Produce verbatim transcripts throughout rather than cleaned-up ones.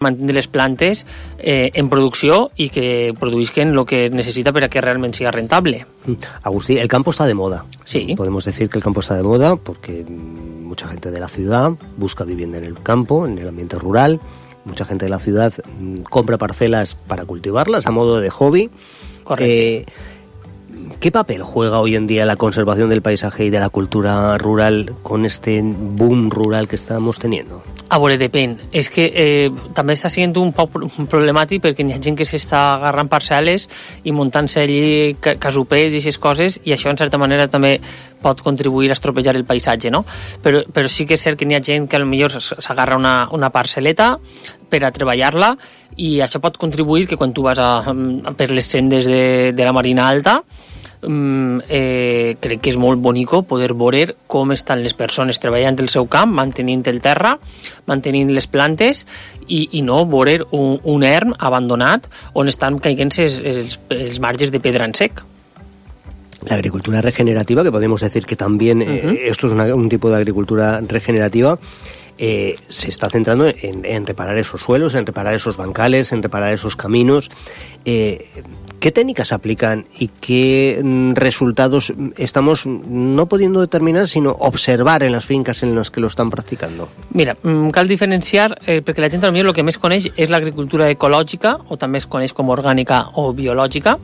mantenir les plantes eh, en producció y que produzcan lo que necesita para que realmente sea rentable. Agustí, el campo está de moda. Sí. Podemos decir que el campo está de moda porque mucha gente de la ciudad busca vivienda en el campo, en el ambiente rural. Mucha gente de la ciudad compra parcelas para cultivarlas a modo de hobby. Correcto. Eh, ¿Qué papel juega hoy en día la conservación del paisaje y de la cultura rural con este boom rural que estamos teniendo? A veure, depèn. És que eh, també està sent un poc problemàtic perquè hi ha gent que s'està agarrant parcel·les i muntant-se allí casupers i aquestes coses, i això en certa manera també pot contribuir a estropejar el paisatge, no? Però, però sí que és cert que hi ha gent que potser s'agarra una, una parcel·leta per a treballar-la, i això pot contribuir que quan tu vas a, a per les sendes de, de la Marina Alta, Mm, eh, crec que és molt bonico poder veure com estan les persones treballant el seu camp, mantenint el terra, mantenint les plantes, i, i no veure un, un erm abandonat on estan caient els, els, els marges de pedra en sec. La agricultura regenerativa, que podemos decir que también eh, uh-huh. esto es una, un tipo de agricultura regenerativa, eh, se está centrando en, en reparar esos suelos, en reparar esos bancales, en reparar esos caminos. Eh, ¿Qué técnicas aplican y qué resultados estamos no pudiendo determinar, sino observar en las fincas en las que lo están practicando? Mira, cal diferenciar, eh, perquè la gent potser el que més coneix és l'agricultura ecològica, o també es coneix com orgànica o biològica,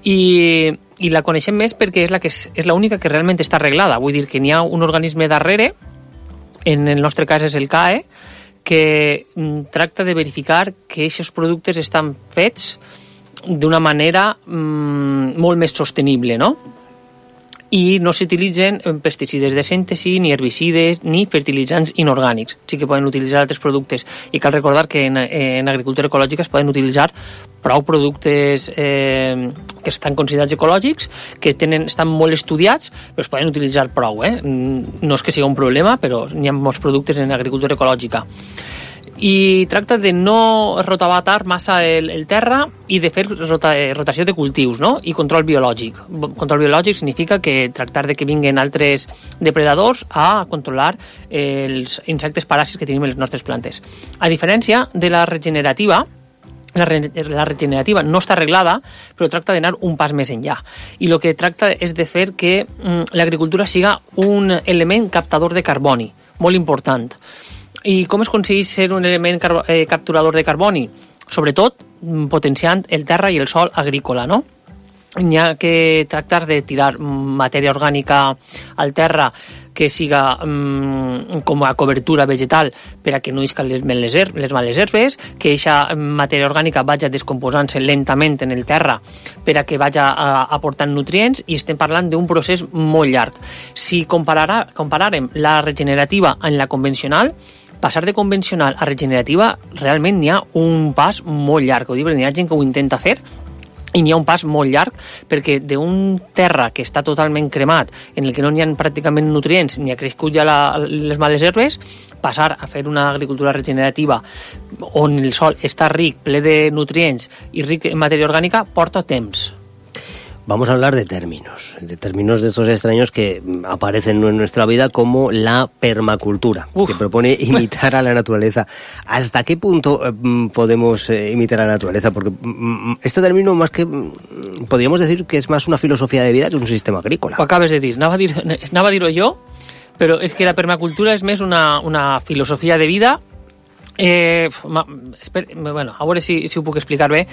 i, i la coneixem més perquè és la que és, és l'única que realment està arreglada. Vull dir que n'hi ha un organisme darrere, en el nostre cas és el C A E, que tracta de verificar que aquests productes estan fets d'una manera mmm, molt més sostenible, no? I no s'utilitzen pesticides de síntesi, ni herbicides, ni fertilitzants inorgànics. Sí que poden utilitzar altres productes, i cal recordar que en, en agricultura ecològica es poden utilitzar prou productes eh, que estan considerats ecològics, que tenen, estan molt estudiats, però es poden utilitzar prou, eh? No és que sigui un problema, però hi ha molts productes en agricultura ecològica. I tracta de no rotabatar massa el, el terra i de fer rota, rotació de cultius, no? I control biològic. Control biològic significa que tractar de que vinguen altres depredadors a controlar els insectes paràsits que tenim en les nostres plantes. A diferència de la regenerativa, La, re la regenerativa no està arreglada, però tracta d'anar un pas més enllà. I el que tracta és de fer que mm, l'agricultura siga un element captador de carboni, molt important. I com es aconsegueix ser un element eh, capturador de carboni? Sobretot potenciant el terra i el sòl agrícola, no? N'hi ha que tractar de tirar matèria orgànica al terra que siga um, com a cobertura vegetal per a que no iscan les, les, les males herbes, que aquesta matèria orgànica vagi descomposant-se lentament en el terra per a que vagi aportant nutrients, i estem parlant d'un procés molt llarg. Si compararà, compararem la regenerativa amb la convencional, passar de convencional a regenerativa realment n'hi ha un pas molt llarg. Ho dic, n'hi ha gent que ho intenta fer, i n'hi ha un pas molt llarg, perquè d'un terra que està totalment cremat, en el que no n'hi ha pràcticament nutrients, ni ha crescut ja la, les males herbes, passar a fer una agricultura regenerativa on el sòl està ric, ple de nutrients i ric en matèria orgànica, porta temps. Vamos a hablar de términos, de términos de estos extraños que aparecen en nuestra vida, como la permacultura, Uf. que propone imitar a la naturaleza. ¿Hasta qué punto eh, podemos eh, imitar a la naturaleza? Porque mm, este término, más que mm, podríamos decir que es más una filosofía de vida que un sistema agrícola. Ho acabes de dir, anava a dir, anava a dir-ho jo, però és que la permacultura és més una, una filosofia de vida. Eh, ma, esper, bueno, a veure si, si ho puc explicar bé,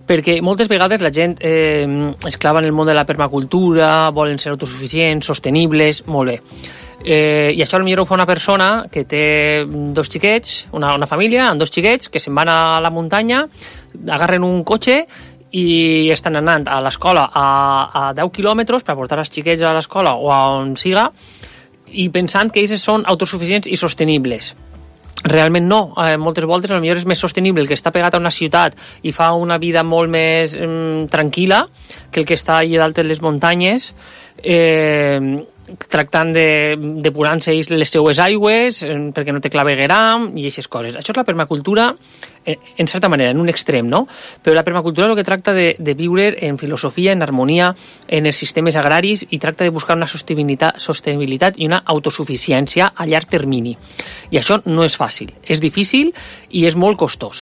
perquè moltes vegades la gent eh, es clava en el món de la permacultura, volen ser autosuficients, sostenibles, molt bé. Eh, I això potser ho fa una persona que té dos xiquets, una, una família amb dos xiquets que se'n van a la muntanya, agarren un cotxe i estan anant a l'escola a, a deu quilòmetres per portar els xiquets a l'escola o a on siga, i pensant que ells són autosuficients i sostenibles. Realment no, eh, moltes voltes potser és més sostenible el que està pegat a una ciutat i fa una vida molt més eh, tranquil·la que el que està allà dalt en les muntanyes, eh, tractant de depurant-se les seues aigües perquè no té clavegueram i aquestes coses. Això és la permacultura, en certa manera, en un extrem, no? Però la permacultura el que tracta de, de viure en filosofia, en harmonia, en els sistemes agraris i tracta de buscar una sostenibilitat, sostenibilitat i una autosuficiència a llarg termini. I això no és fàcil, és difícil i és molt costós.